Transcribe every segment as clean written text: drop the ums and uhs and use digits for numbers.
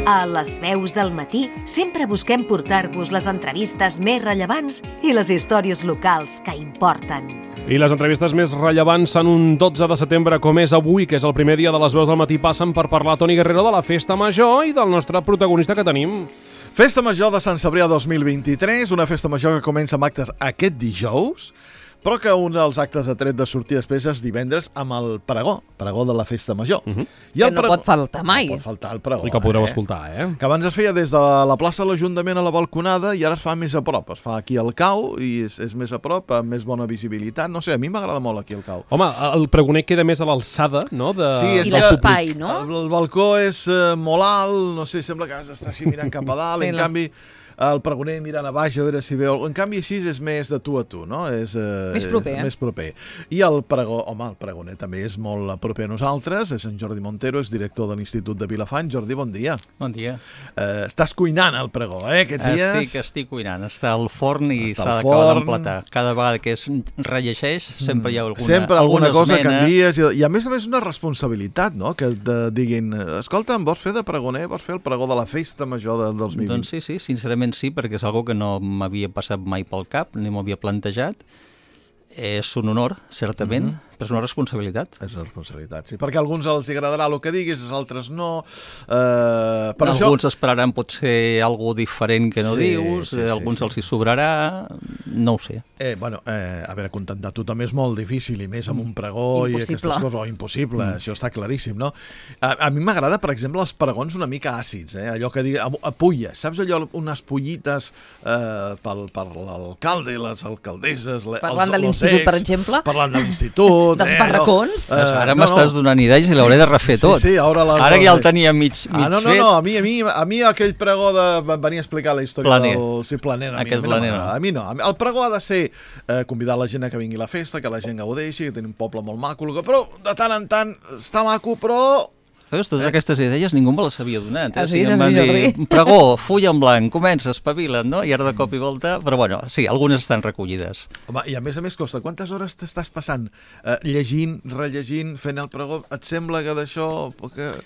A les veus del matí sempre busquem portar-vos les entrevistes més rellevants i les històries locals que importen. I les entrevistes més rellevants en un 12 de setembre com és avui, que és el primer dia de les veus del matí, passen per parlar Toni Guerrero de la Festa Major i del nostre protagonista que tenim. Festa Major de Sant Cebrià 2023, una festa major que comença amb actes aquest dijous, però que un dels actes de tret de sortir després és divendres amb el pregó de la Festa Major. I el pregó, pot faltar mai. No pot faltar el pregó. I que podreu escoltar, Que abans es feia des de la plaça de l'Ajuntament a la balconada i ara es fa més a prop. Es fa aquí al Cau i és més a prop, amb més bona visibilitat. No sé, a mi m'agrada molt aquí al Cau. Home, el pregoner queda més a l'alçada, no? Sí, i l'espai, no? El balcó és molt alt, no sé, sembla que has d'estar així mirant cap a dalt, en canvi el pregoner mirant a baix a veure si veu... En canvi, així és més de tu a tu, no? És més proper. I el pregó, home, el pregoner també és molt proper a nosaltres, és en Jordi Montero, és director de l'Institut de Vilafant. Jordi, bon dia. Bon dia. Estàs cuinant el pregó, aquests dies? Estic cuinant. Està al forn i s'ha d'acabar d'empletar. Cada vegada que es rellegeix, sempre hi ha alguna cosa esmena. canvies. I a més una responsabilitat, no? Que et diguin, escolta, em vols fer de pregoner? Vols fer el pregó de la Festa Major del 2020? Doncs sí, sincerament sí, perquè és algo que no m'havia passat mai pel cap, ni m'havia plantejat. És un honor, certament, però és una responsabilitat. És una responsabilitat, sí. Perquè a alguns els agradarà el que diguis, als altres no. Alguns esperaran potser alguna diferent que no dius, alguns els hi sobrarà, no ho sé. A veure, contentar tu també és molt difícil, i més amb un pregó i aquestes coses. Impossible, això està claríssim, no? A mi m'agrada, per exemple, els pregons una mica àcids, allò que digui, a pulles, saps allò, unes pullites per l'alcalde, les alcaldesses, parlant de l'Institut, per exemple? Parlant de l'Institut, dels barracons? Ara m'estàs donant idees i l'hauré de refer tot. Sí, ara ja el tenia mig fet. No, a mi aquell pregó de venir a explicar la història del... Sí, planer. A mi no. El pregó ha de ser convidar la gent a que vingui a la festa, que la gent gaudeixi, que tenim un poble molt maco, però de tant en tant està maco, però... Veus, totes aquestes idees ningú me les havia donat. Sí, em van dir, pregó, full en blanc, comença, espavila'n, no? I ara de cop i volta... Però bueno, sí, algunes estan recollides. Home, i a més costa, quantes hores t'estàs passant llegint, rellegint, fent el pregó? Et sembla que d'això...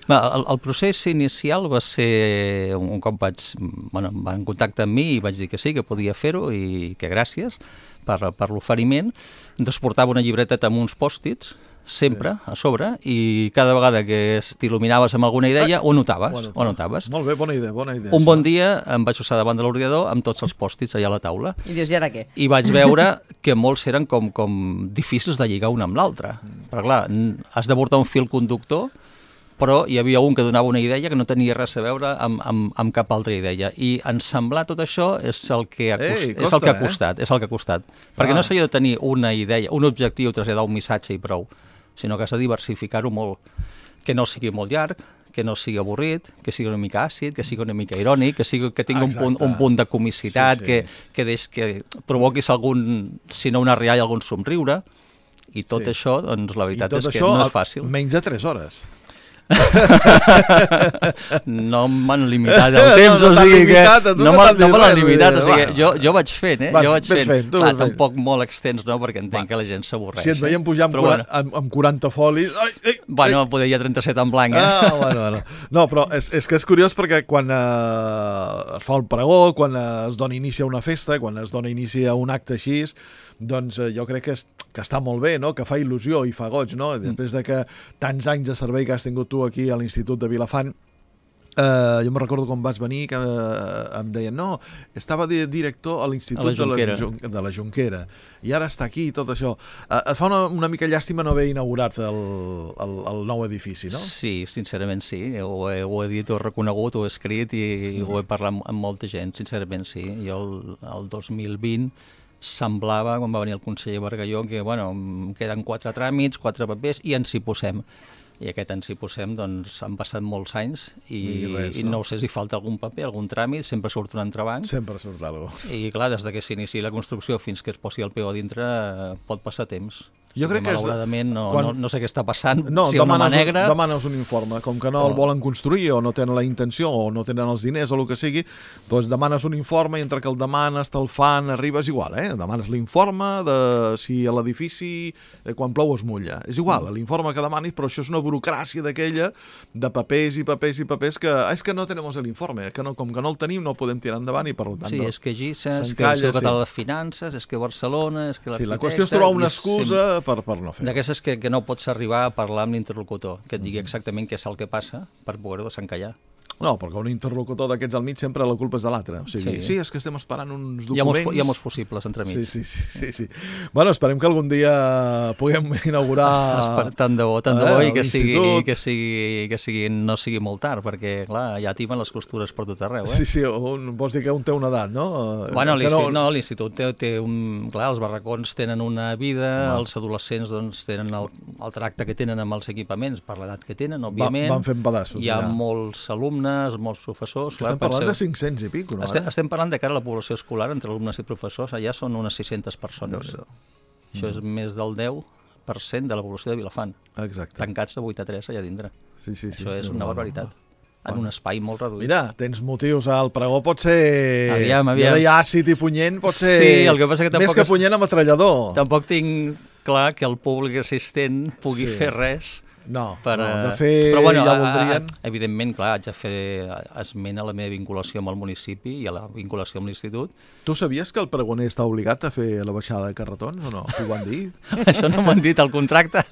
El procés inicial va ser un cop van contactar amb mi i vaig dir que sí, que podia fer-ho i que gràcies per l'oferiment. Doncs portava una llibreteta amb uns pòstits, sempre a sobre, i cada vegada que t'il·luminaves amb alguna idea ho notaves. Molt bé, bona idea. Un bon dia em vaig posar davant de l'ordinador amb tots els pòstits allà a la taula. I dius, i ara què? I vaig veure que molts eren com difícils de lligar un amb l'altre. Perquè clar, has de portar un fil conductor, però hi havia un que donava una idea que no tenia res a veure amb cap altra idea. I ensemblar tot això és el que ha costat. Perquè no s'ha de tenir una idea, un objectiu, traslladar un missatge i prou, sinó que has de diversificar-ho molt. Que no sigui molt llarg, que no sigui avorrit, que sigui una mica àcid, que sigui una mica irònic, que tingui un punt de comicitat, que provoquis si no una rialla, algun somriure. I tot això, doncs la veritat és que no és fàcil. Menys de 3 hores. No m'han limitat el temps, o sigui que no me l'han limitat, o sigui jo vaig fent, clar, tampoc molt extens, no, perquè entenc que la gent s'avorreix. Si et veiem pujar amb 40 folis... Bueno, poder 37 en blanc, Bueno. No, però és que és curiós perquè quan es fa el pregó, quan es dona inici a una festa, quan es dona inici a un acte així, doncs jo crec que està molt bé, no? Que fa il·lusió i fa goig, no? Després de que tants anys de servei que has tingut tu aquí a l'Institut de Vilafant, jo me recordo quan vas venir que em deien, no, estava director a l'Institut de la Jonquera i ara està aquí i tot això. Et fa una mica llàstima no haver inaugurat el nou edifici, no? Sí, sincerament sí, ho he dit, ho he reconegut, ho he escrit i ho he parlat amb molta gent, sincerament sí. Jo el 2020 semblava, quan va venir el conseller Bargalló, que em queden 4 tràmits, 4 papers i ens hi posem. I aquest ens hi posem, doncs han passat molts anys i no sé si falta algun paper, algun tràmit, sempre surt un entrebanc. Sempre surt alguna cosa. I clar, des que s'inici la construcció fins que es posi el peu a dintre pot passar temps. Jo crec que malauradament no sé què està passant, no, si hi ha una mà negra... demanes un informe, com que no el volen construir o no tenen la intenció o no tenen els diners o el que sigui, doncs demanes un informe i entre que el demanes, te'l fan, arribes igual, demanes l'informe de si a l'edifici quan plou es mulla, és igual, l'informe que demanis, però això és una burocràcia d'aquella de papers i papers i papers que és que no tenim l'informe, que no, com que no el tenim no el podem tirar endavant i per tant... Sí, és que GISA, és que l'Institut Català de Finances, és que Barcelona, és que l'arquitecte... Sí, la qüestió és trobar una excusa per no fer. D'aquestes que no pots arribar a parlar amb l'interlocutor, que et digui exactament què és el que passa per poder-ho desencallar. No, perquè un interlocutor d'aquests al mig sempre la culpa és de l'altre. O sigui, sí, és que estem esperant uns documents... Hi ha molts fusibles entremig. Sí. Bueno, esperem que algun dia puguem inaugurar... Tant de bo, i que sigui, no sigui molt tard, perquè, clar, ja timen les costures per tot arreu, Sí, vols dir que un té una edat, no? Bueno, l'institut té un... Clar, els barracons tenen una vida, els adolescents doncs tenen el tracte que tenen amb els equipaments, per l'edat que tenen, òbviament. Van fent pedaços. Hi ha molts alumnes, molts professors... Estem parlant de 500 i pico, no? Estem parlant de cara a la població escolar, entre alumnes i professors, allà són unes 600 persones. Això és més del 10% de la població de Vilafant. Exacte. Tancats de 8 a 3 allà dintre. Sí. Això és una barbaritat. En un espai molt reduït. Mira, tens motius, el pregó pot ser... Aviam. Ja deia àcid i punyent, pot ser... Sí, el que passa que tampoc... Més que punyent a metrallador. Tampoc tinc clar que el públic assistent pugui fer res... No, de fer però, bueno, ja voldrien... Evidentment, clar, haig de fer esment a la meva vinculació amb el municipi i a la vinculació amb l'institut. Tu sabies que el pregoner està obligat a fer la baixada de carretons o no? T'ho van dir? Això no m'ho han dit, el contracte.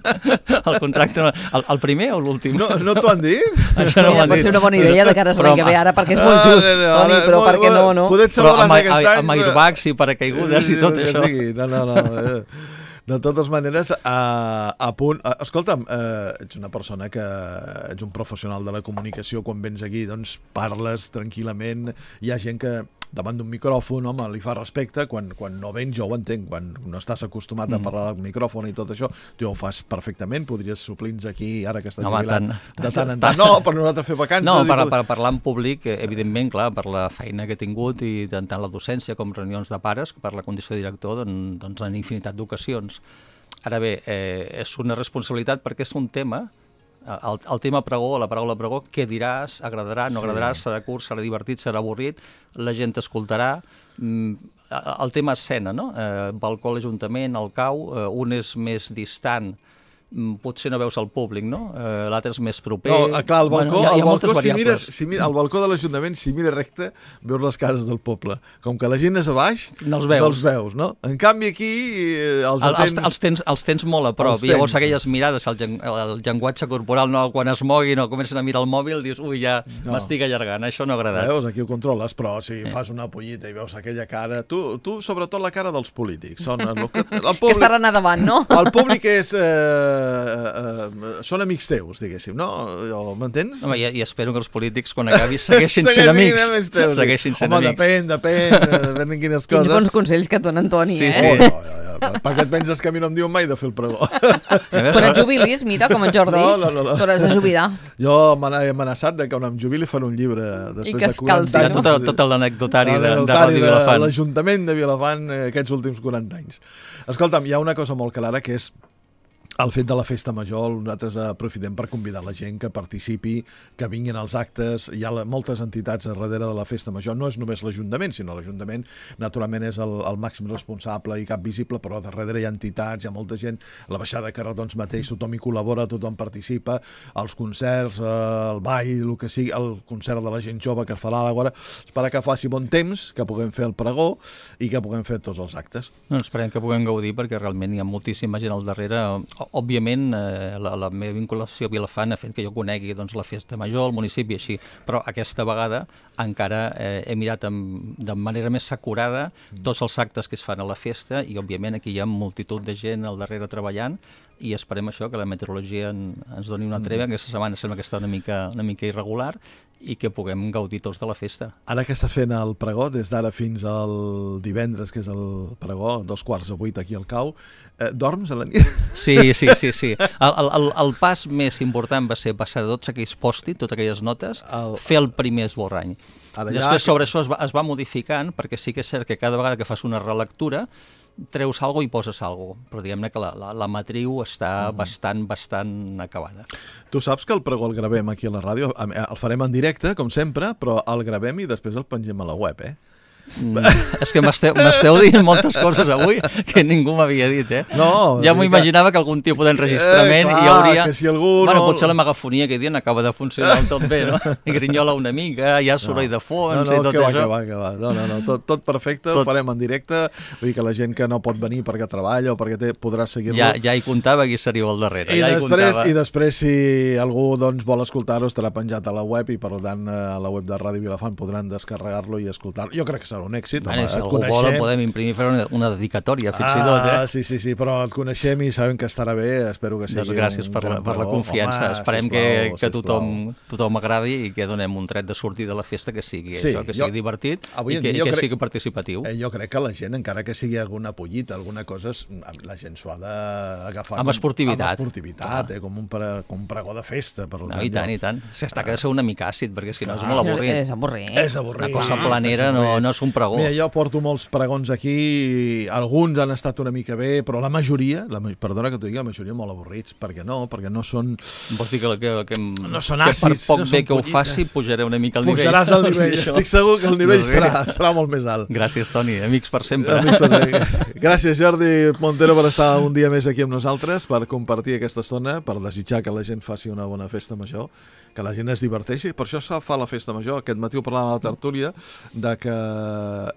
El contracte, el primer o l'últim? No t'ho han dit? Això no m'ho han dit. Pot ser una bona idea de cara a l'any que ve ara, perquè és molt just, Toni, però per què no? Però amb airbags i paracaigudes i tot això. No. De totes maneres, a punt... Escolta'm, ets una persona que ets un professional de la comunicació, quan vens aquí doncs parles tranquil·lament, hi ha gent que davant d'un micròfon, home, li fa respecte, quan no vens jo ho entenc, quan no estàs acostumat a parlar del micròfon i tot això, tu ho fas perfectament, podries suplir-nos aquí, ara que estàs jubilat, de tant en tant. No, per nosaltres fer vacances. No, per parlar en públic, evidentment, clar, per la feina que he tingut i tant la docència com reunions de pares, per la condició de director, doncs en infinitat d'ocasions. Ara bé, és una responsabilitat perquè és un tema, el tema pregó, la paraula pregó, què diràs, agradarà, no agradarà, serà curt, serà divertit, serà avorrit, la gent t'escoltarà. El tema escena, no? Balcó a l'Ajuntament, el cau, un és més distant, potser no veus el públic, no? L'altre és més proper... No, clar, el balcó, hi ha moltes variables. Al balcó de l'Ajuntament, si mires recte, veus les cases del poble. Com que la gent és a baix, no els veus, no? En canvi aquí els tens molt a prop, i llavors aquelles mirades, el llenguatge corporal, no, quan es moguin o comencen a mirar el mòbil, dius, ui, ja m'estic allargant, això no ha agradat. Veus, aquí ho controles, però si fas una pollita i veus aquella cara... Tu sobretot la cara dels polítics. Que estaran a davant, no? El públic és... són amics teus, diguéssim, no? M'entens? Home, i espero que els polítics, quan acabis, segueixin sent amics. Segueixin sent amics. Home, depèn de quines coses. Quins bons consells que et donen, Toni, Per què et penses que a mi no em diuen mai de fer el pregó? Quan et jubilis, mira, com en Jordi, t'hauràs de jubilar. Jo he amenaçat que quan em jubili fan un llibre després de 40 anys. Tot l'anecdotari de Ràdio Vilafant. L'Ajuntament de Vilafant aquests últims 40 anys. Escolta'm, hi ha una cosa molt clara que és el fet de la festa major. Nosaltres aprofitem per convidar la gent que participi, que vinguin als actes. Hi ha moltes entitats darrere de la festa major. No és només l'Ajuntament, sinó l'Ajuntament naturalment és el màxim responsable i cap visible, però darrere hi ha entitats, hi ha molta gent. La baixada de carretons mateix, tothom hi col·labora, tothom participa, els concerts, el ball, el que sigui, el concert de la gent jove que es farà a l'Àgora. Espero que faci bon temps, que puguem fer el pregó i que puguem fer tots els actes. No, esperem que puguem gaudir, perquè realment hi ha moltíssima gent al darrere. Òbviament, la meva vinculació a Vilafant ha fet que jo conegui la festa major, el municipi, així, però aquesta vegada encara he mirat de manera més acurada tots els actes que es fan a la festa i, òbviament, aquí hi ha multitud de gent al darrere treballant i esperem això, que la meteorologia ens doni una treva. Aquesta setmana sembla que està una mica irregular i que puguem gaudir tots de la festa. Ara que estàs fent el pregó, des d'ara fins al divendres, que és el pregó, 7:15 aquí al Cau, dorms a la nit? Sí. El pas més important va ser passar de tots aquells pòstits, totes aquelles notes, fer el primer esborrany. Després sobre això es va modificant, perquè sí que és cert que cada vegada que fas una relectura treus alguna i poses alguna cosa, però diguem-ne que la matriu està bastant acabada. Tu saps que el pregó el gravem aquí a la ràdio, el farem en directe, com sempre, però el gravem i després el pengem a la web, És que m'esteu dient moltes coses avui que ningú m'havia dit, No, ja m'ho imaginava que algun tipus d'enregistrament hi hauria... Que si algú bueno, potser la megafonia que dia acaba de funcionar tot bé, no? I grinyola una mica, hi ha soroll de fons i tot això. Que va. No, tot perfecte, ho farem en directe, vull dir que la gent que no pot venir perquè treballa o perquè podrà seguir-lo... Ja hi comptava qui seríeu al darrere, I després, si algú vol escoltar-ho, estarà penjat a la web i, per tant, a la web de Ràdio Vilafant podran descarregar-lo i escoltar-lo. Jo crec que serà un èxit. Si algú vol, podem imprimir, fer una dedicatòria, fins i tot. Sí, però et coneixem i sabem que estarà bé, espero que sigui un gràcies per la confiança. Esperem que tothom agradi i que donem un tret de sortir de la festa que sigui divertit i que sigui participatiu. Jo crec que la gent, encara que sigui alguna pollita, alguna cosa, la gent s'ho ha d'agafar amb esportivitat, com un pregó de festa. I tant. S'està que ha de ser una mica àcid, perquè si no és molt avorrit. És avorrit. Una cosa planera no és un pregó. Mira, jo porto molts pregons aquí, alguns han estat una mica bé, però la majoria, perdona que t'ho digui, la majoria molt avorrits, perquè no són... Vols dir que no són àcids, per poc bé que ho faci, pujaré una mica al nivell. Pujaràs al nivell, estic segur que el nivell serà molt més alt. Gràcies, Toni, amics per sempre. Gràcies, Jordi Montero, per estar un dia més aquí amb nosaltres, per compartir aquesta estona, per desitjar que la gent faci una bona festa major, que la gent es diverteixi. Per això fa la festa major. Aquest matí ho parlàvem a la tertúlia, de que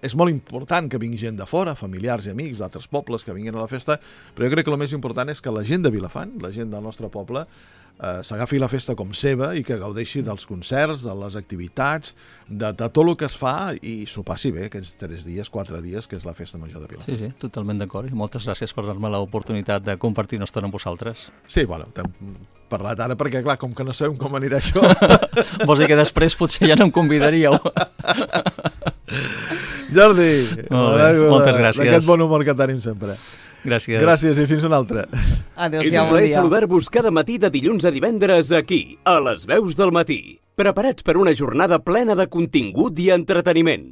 és molt important que vingui gent de fora, familiars i amics d'altres pobles que vinguin a la festa, però jo crec que el més important és que la gent de Vilafant, la gent del nostre poble, s'agafi la festa com seva i que gaudeixi dels concerts, de les activitats, de tot el que es fa i s'ho passi bé aquests 4 dies, que és la festa major de Vilafant. Sí, totalment d'acord. I moltes gràcies per dar-me l'oportunitat de compartir una estona amb vosaltres. Sí, bueno, t'hem parlat ara perquè, clar, com que no sabem com anirà això... Vols dir que després potser ja no em convidaríeu? Jordi, moltes gràcies. D'aquest bon humor que tenim sempre. Gràcies i fins una altra. Adéu-siau, és un plaer saludar-vos cada matí de dilluns a divendres aquí, a les Veus del Matí. Preparats per una jornada plena de contingut i entreteniment.